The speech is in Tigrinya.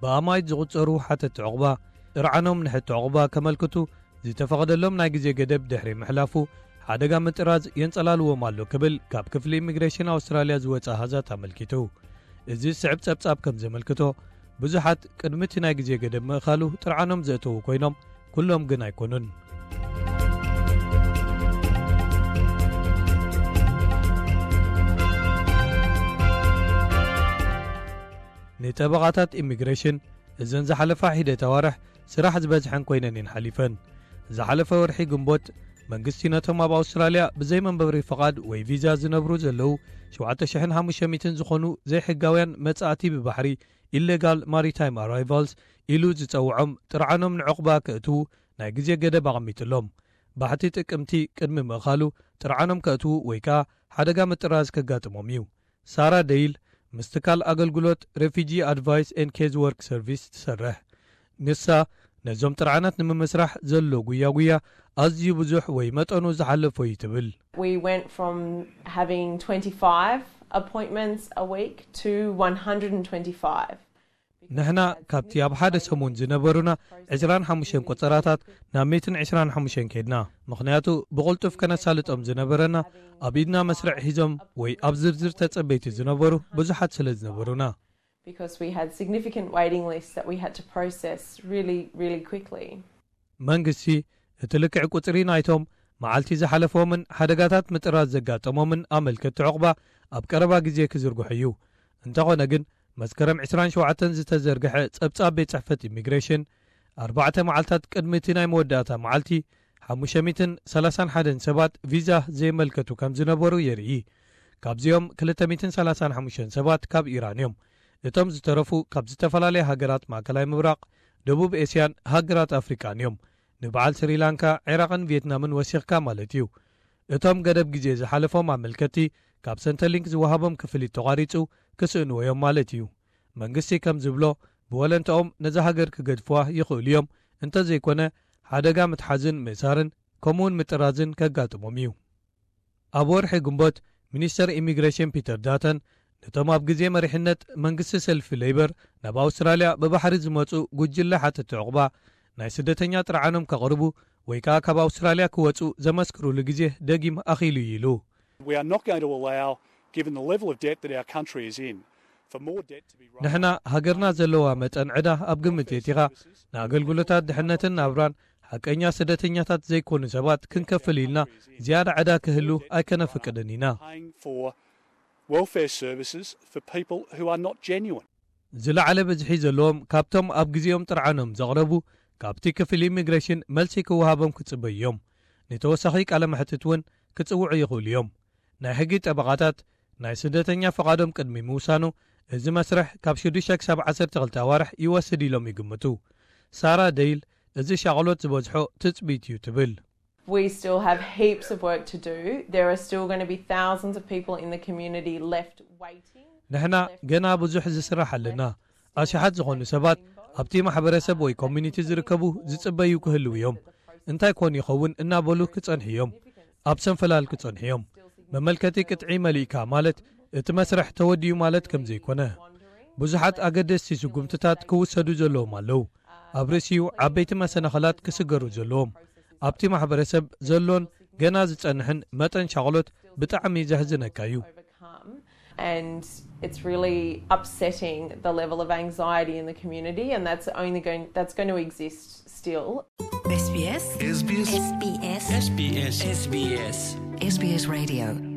ብኣማይት ዝቑጸሩ ሓተቲ ዕቑባ ጥርዓኖም ንሕቲ ዕቑባ ከመልክቱ ዝተፈቐደሎም ናይ ግዜ ገደብ ድሕሪ ምሕላፉ፣ ሓደጋ ምጥራዝ የንጸላልዎም ኣሎ ክብል ካብ ክፍሊ ኢሚግሬሽን ኣውስትራልያ ዝወጸ ኣሃዛት ኣመልኪቱ። እዚ ዝስዕብ ጸብጻብ ከም ዘመልክቶ፣ ብዙሓት ቅድሚ እቲ ናይ ግዜ ገደብ ምእኻሉ ጥርዓኖም ዘእተዉ ኮይኖም፣ ኩሎም ግን ኣይኮኑን። ንጠበቓታት ኢሚግሬሽን እዘን ዝሓለፋ ሒደት ኣዋርሕ ስራሕ ዝበዝሐን ኮይነን እየን ሓሊፈን። ዝሓለፈ ወርሒ ግንቦት፣ መንግስቲ ነቶም ኣብ ኣውስትራልያ ብዘይ መንበሪ ፍቓድ ወይ ቪዛ ዝነብሩ ዘለዉ ሸውዓተ ሽሕን ሓሙሽተ ሚእትን ዝኾኑ ዘይሕጋውያን መጻእቲ ብባሕሪ፣ ኢሌጋል ማሪታይም ኣራይቫልስ፣ ኢሉ ዝጸውዖም ጥርዓኖም ንዕቑባ ከእትዉ ናይ ግዜ ገደብ ኣቐሚጥሎም። ባሕቲ ጥቅምቲ ቅድሚ ምእኻሉ ጥርዓኖም ከእትዉ ወይ ከኣ ሓደጋ ምጥራዝ ከጋጥሞም እዩ። ሳራ ደይል ምስ ትካል ኣገልግሎት ሬፊጂ ኣድቫይስ ኤን ኬዝ ወርክ ሰርቪስ ትሰርሕ። ንሳ ነዞም ጥርዓናት ንምምስራሕ ዘሎ ጉያ ጉያ ኣዝዩ ብዙሕ ወይ መጠኑ ዝሓለፎ እዩ ትብል። We went from having twenty-five appointments a week to one hundred and twenty-five. ንሕና ካብቲ ኣብ ሓደ ሰሙን ዝነበሩና ዕስራን ሓሙሽተን ቆጸራታት ናብ ሚእትን ዕስራን ሓሙሽተን ከድና። ምኽንያቱ ብቕልጡፍ ከነሳልጦም ዝነበረና ኣብ ኢድና መስርዕ ሒዞም ወይ ኣብ ዝርዝር ተጸበይቲ ዝነበሩ ብዙሓት ስለ ዝነበሩና። Because we had significant waiting lists that we had to process really, really quickly. መንግስቲ እቲ ልክዕ ቁጽሪ ናይቶም መዓልቲ ዝሓለፎምን ሓደጋታት ምጥራዝ ዘጋጠሞምን ኣመልከቲ ዕቑባ ኣብ ቀረባ ግዜ ክዝርግሑ እዩ። እንተኾነ ግን መስከረም ዕስራን ሸውዓተን ዝተዘርግሐ ጸብጻብ ቤት ጽሕፈት ኢሚግሬሽን፣ ኣርባዕተ መዓልታት ቅድሚ እቲ ናይ መወዳእታ መዓልቲ ሓሙሽተ ሚእትን ሰላሳን ሓደን ሰባት ቪዛ ዘየመልከቱ ከም ዝነበሩ የርኢ። ካብዚኦም ክልተ ሚእትን ሰላሳን ሓሙሽተን ሰባት ካብ ኢራን እዮም። እቶም ዝተረፉ ካብ ዝተፈላለያ ሃገራት ማእከላይ ምብራቕ፣ ደቡብ ኤስያን ሃገራት ኣፍሪቃን እዮም። ንበዓል ስሪላንካ፣ ዒራቕን ቪየትናምን ወሲኽካ ማለት እዩ። እቶም ገደብ ግዜ ዝሓለፎም ኣመልከቲ ካብ ሰንተሊንክ ዝወሃቦም ክፍሊት ተቋሪጹ ክስእንዎ እዮም ማለት እዩ። መንግስቲ ከም ዝብሎ ብወለንትኦም ነዛ ሃገር ክገድፍዋ ይኽእሉ እዮም። እንተዘይኮነ ሓደጋ ምትሓዝን ምእሳርን ከምኡውን ምጥራዝን ከጋጥሞም እዩ። ኣብ ወርሒ ግንቦት ሚኒስተር ኢሚግሬሽን ፒተር ዳተን ነቶም ኣብ ግዜ መሪሕነት መንግስቲ ሰልፊ ሌይበር ናብ ኣውስትራልያ ብባሕሪ ዝመጹ ጉጅለ ሓተቲ ዕቑባ ናይ ስደተኛ ጥርዓኖም ከቕርቡ ወይ ከኣ ካብ ኣውስትራልያ ክወጹ ዘመስክሩሉ ግዜ ደጊም ኣኺሉ እዩ ኢሉ። We are not going to allow, given the level of debt that our country is in, for more debt to be raised. ንሕና ሃገርና ዘለዋ መጠን ዕዳ ኣብ ግምት የእቲኻ ንኣገልግሎታት ድሕነትን ናብራን ሓቀኛ ስደተኛታት ዘይኮኑ ሰባት ክንከፍል ኢልና ዝያዳ ዕዳ ክህሉ ኣይከነፍቅድን ኢና። Paying for welfare services for people who are not genuine. ዝለዓለ ብዝሒ ዘለዎም ካብቶም ኣብ ግዜኦም ጥርዓኖም ዘቕረቡ ካብቲ ክፍሊ ኢሚግሬሽን መልሲ ክወሃቦም ክጽበዩ እዮም። ንተወሳኺ ቃለ መሕትት እውን ክጽውዑ ይኽእሉ እዮም። ናይ ሕጊ ጠበቓታት ናይ ስደተኛ ፍቓዶም ቅድሚ ምውሳኑ እዚ መስርሕ ካብ ሽዱሽተ ክሳብ ዓሰርተ ክልተ ኣዋርሕ ይወስድ ኢሎም ይግምቱ። ሳራ ደይል እዚ ሻቕሎት ዝበዝሖ ትጽቢት እዩ ትብል። We still have heaps of work to do. There are still going to be thousands of people in the community left waiting. ንሕና ገና ብዙሕ ዝስራሕ ኣለና። ኣሽሓት ዝኾኑ ሰባት ኣብቲ ማሕበረሰብ ወይ ኮሚኒቲ ዝርከቡ ዝጽበዩ ክህልው እዮም። እንታይ ኮን ይኸውን እናበሉ ክጸንሑ እዮም። ኣብ ሰንፈላል ክጸንሑ እዮም። መመልከቲ ቅጥዒ መሊእካ ማለት እቲ መስርሕ ተወዲኡ ማለት ከም ዘይኮነ። ብዙሓት ኣገደስቲ ስጉምትታት ክውሰዱ ዘለዎም ኣለዉ። ኣብ ርእሲኡ ዓበይቲ መሰናኸላት ክስገሩ ዘለዎም። ኣብቲ ማሕበረሰብ ዘሎን ገና ዝጸንሕን መጠን ሻቕሎት ብጣዕሚ ዘሕዝነካ እዩ። And it's really upsetting the level of anxiety in the community, and that's only going that's going to exist still. SBS SBS SBS SBS SBS Radio